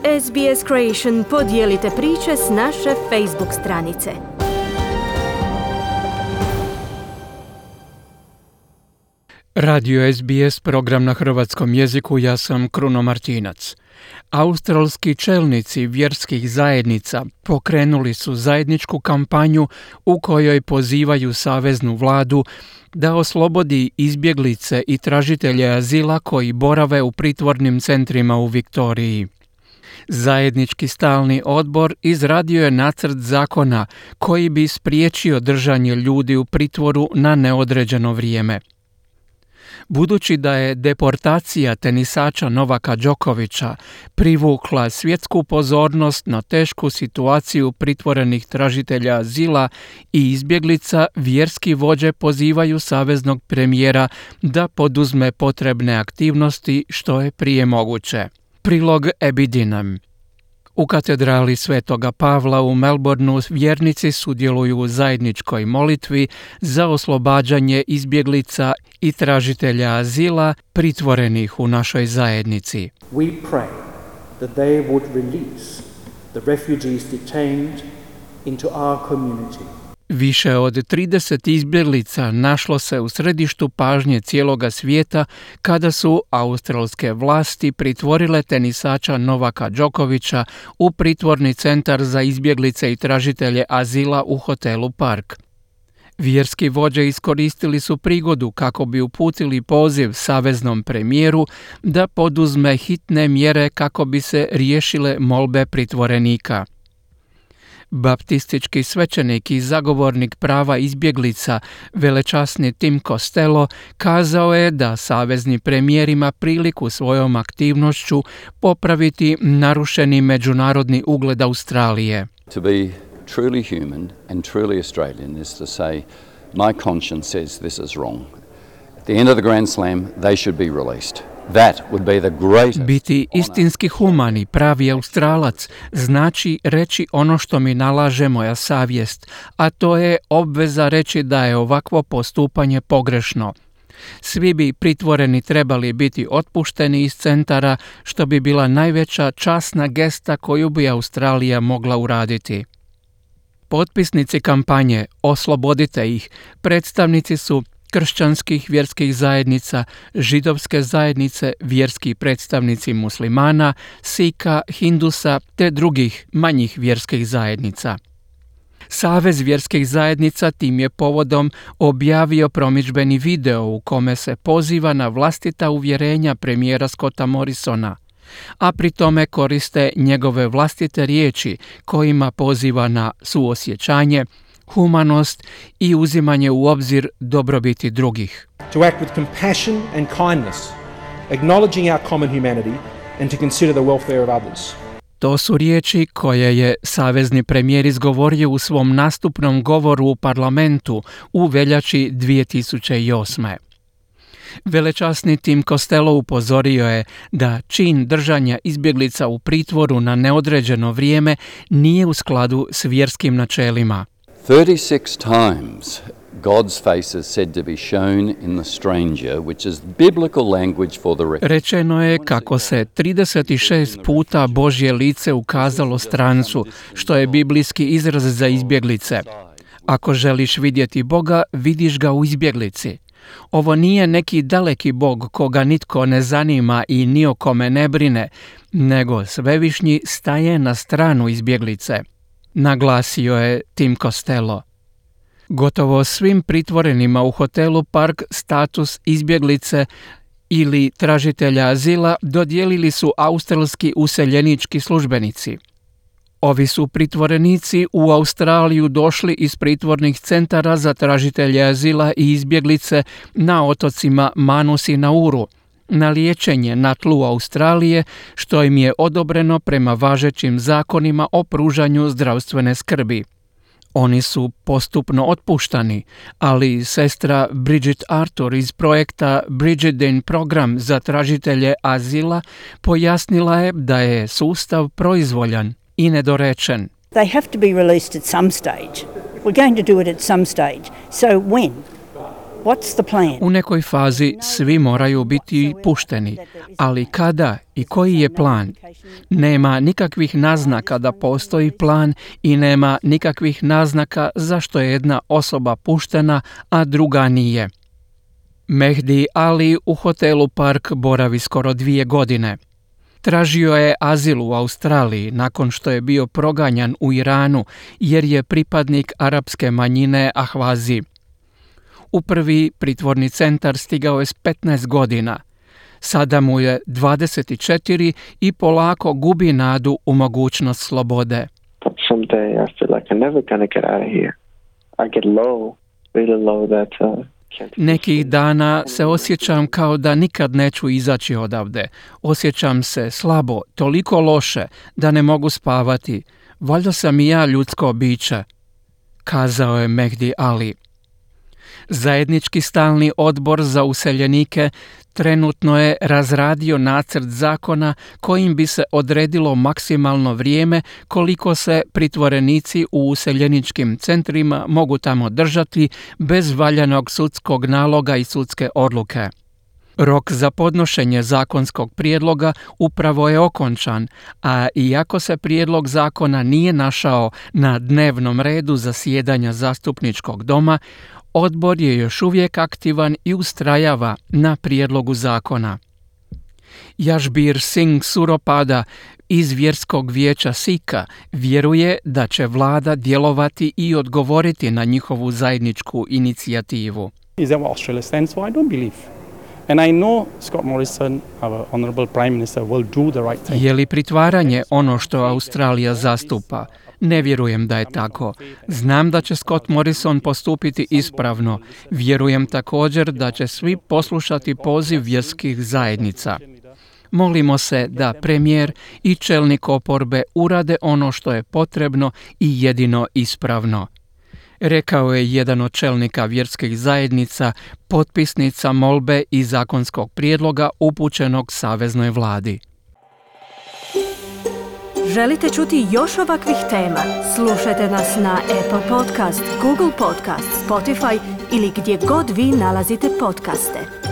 SBS Creation podijelite priče s naše Facebook stranice. Radio SBS, program na hrvatskom jeziku, ja sam Kruno Martinac. Australski čelnici vjerskih zajednica pokrenuli su zajedničku kampanju u kojoj pozivaju saveznu vladu da oslobodi izbjeglice i tražitelje azila koji borave u pritvornim centrima u Viktoriji. Zajednički stalni odbor izradio je nacrt zakona koji bi spriječio držanje ljudi u pritvoru na neodređeno vrijeme. Budući da je deportacija tenisača Novaka Đokovića privukla svjetsku pozornost na tešku situaciju pritvorenih tražitelja azila i izbjeglica, vjerski vođe pozivaju saveznog premijera da poduzme potrebne aktivnosti što je prije moguće. Prilog Ebidinem. U katedrali Svetoga Pavla u Melbourneu vjernici sudjeluju u zajedničkoj molitvi za oslobađanje izbjeglica i tražitelja azila pritvorenih u našoj zajednici. We pray that they would release the refugees detained into our community. Više od 30 izbjeglica našlo se u središtu pažnje cijeloga svijeta kada su australske vlasti pritvorile tenisača Novaka Đokovića u pritvorni centar za izbjeglice i tražitelje azila u hotelu Park. Vjerski vođe iskoristili su prigodu kako bi uputili poziv saveznom premijeru da poduzme hitne mjere kako bi se riješile molbe pritvorenika. Baptistički svećenik i zagovornik prava izbjeglica, velečasni Tim Costello, kazao je da savezni premijer ima priliku svojom aktivnošću popraviti narušeni međunarodni ugled Australije. To be truly human and truly Australian is to say, my conscience says this is wrong. At the end of the Grand Slam, they should be released. That would be the greatest. Biti istinski humani, pravi Australac, znači reći ono što mi nalaže moja savjest, a to je obveza reći da je ovakvo postupanje pogrešno. Svi bi pritvoreni trebali biti otpušteni iz centara, što bi bila najveća časna gesta koju bi Australija mogla uraditi. Potpisnici kampanje Oslobodite ih predstavnici su kršćanskih vjerskih zajednica, židovske zajednice, vjerski predstavnici muslimana, Sika, Hindusa te drugih manjih vjerskih zajednica. Savez vjerskih zajednica tim je povodom objavio promidžbeni video u kome se poziva na vlastita uvjerenja premijera Scotta Morrisona, a pri tome koriste njegove vlastite riječi kojima poziva na suosjećanje, humanost i uzimanje u obzir dobrobiti drugih. To act with compassion and kindness, acknowledging our common humanity and to consider the welfare of others. To su riječi koje je savezni premijer izgovorio u svom nastupnom govoru u parlamentu u veljači 2008. Velečasni Tim Costello upozorio je da čin držanja izbjeglica u pritvoru na neodređeno vrijeme nije u skladu s vjerskim načelima. 36 times God's face is said to be shown in the stranger, which is biblical language for the refugee. Rečeno je kako se 36 puta Božje lice ukazalo strancu, što je biblijski izraz za izbjeglice. Ako želiš vidjeti Boga, vidiš ga u izbjeglici. Ovo nije neki daleki Bog koga nitko ne zanima i ni o kome ne brine, nego svevišnji staje na stranu izbjeglice, naglasio je Tim Costello. Gotovo svim pritvorenima u hotelu Park status izbjeglice ili tražitelja azila dodijelili su australski useljenički službenici. Ovi su pritvorenici u Australiju došli iz pritvornih centara za tražitelje azila i izbjeglice na otocima Manus i Nauru, na liječenje na tlu Australije, što im je odobreno prema važećim zakonima o pružanju zdravstvene skrbi. Oni su postupno otpuštani, ali sestra Bridget Arthur iz projekta Bridget program za tražitelje azila pojasnila je da je sustav proizvoljan i nedorečen. They have to be released at some stage. We're going to do it at some stage. So when? What's the plan? U nekoj fazi svi moraju biti pušteni, ali kada i koji je plan? Nema nikakvih naznaka da postoji plan i nema nikakvih naznaka zašto je jedna osoba puštena, a druga nije. Mehdi Ali u hotelu Park boravi skoro 2 godine. Tražio je azil u Australiji nakon što je bio proganjan u Iranu jer je pripadnik arapske manjine Ahvazi. U prvi pritvorni centar stigao je s 15 godina. Sada mu je 24 i polako gubi nadu u mogućnost slobode. Someday I feel like I'm never gonna get out of here. I get low, really low that Nekih dana se osjećam kao da nikad neću izaći odavde. Osjećam se slabo, toliko loše da ne mogu spavati. Valjda sam i ja ljudsko biće, kazao je Mehdi Ali. Zajednički stalni odbor za useljenike trenutno je razradio nacrt zakona kojim bi se odredilo maksimalno vrijeme koliko se pritvorenici u useljeničkim centrima mogu tamo držati bez valjanog sudskog naloga i sudske odluke. Rok za podnošenje zakonskog prijedloga upravo je okončan, a iako se prijedlog zakona nije našao na dnevnom redu zasjedanja zastupničkog doma, odbor je još uvijek aktivan i ustrajava na prijedlogu zakona. Jašbir Singh Suropada iz vjerskog vijeća Sikha vjeruje da će vlada djelovati i odgovoriti na njihovu zajedničku inicijativu. Is that what Australia stands for? I don't believe. And I know Scott Morrison, our honorable prime minister, will do the right thing. Je li pritvaranje ono što Australija zastupa? Ne vjerujem da je tako. Znam da će Scott Morrison postupiti ispravno. Vjerujem također da će svi poslušati poziv vjerskih zajednica. Molimo se da premijer i čelnik oporbe urade ono što je potrebno i jedino ispravno, rekao je jedan od čelnika vjerskih zajednica, potpisnica molbe i zakonskog prijedloga upućenog saveznoj vladi. Želite čuti još ovakvih tema? Slušajte nas na Apple Podcast, Google Podcast, Spotify ili gdje god vi nalazite podcaste.